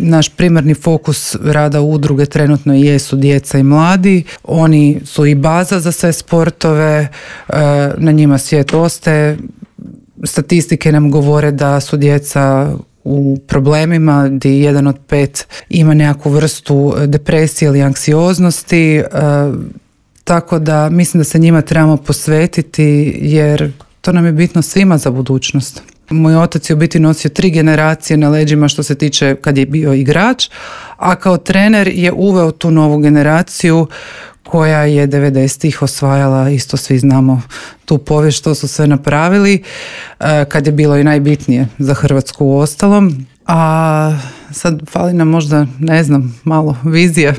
Naš primarni fokus rada udruge trenutno jesu djeca i mladi. Oni su i baza za sve sportove, na njima svijet ostaje. Statistike nam govore da su djeca u problemima, gdje 1 od 5 ima nekakvu vrstu depresije ili anksioznosti, tako da mislim da se njima trebamo posvetiti jer to nam je bitno svima za budućnost. Moj otac je u biti nosio 3 generacije na leđima što se tiče kad je bio igrač, a kao trener je uveo tu novu generaciju koja je 90-ih osvajala, isto svi znamo tu povijest što su sve napravili, kad je bilo i najbitnije za Hrvatsku u ostalom. A sad fali nam možda, ne znam, malo vizije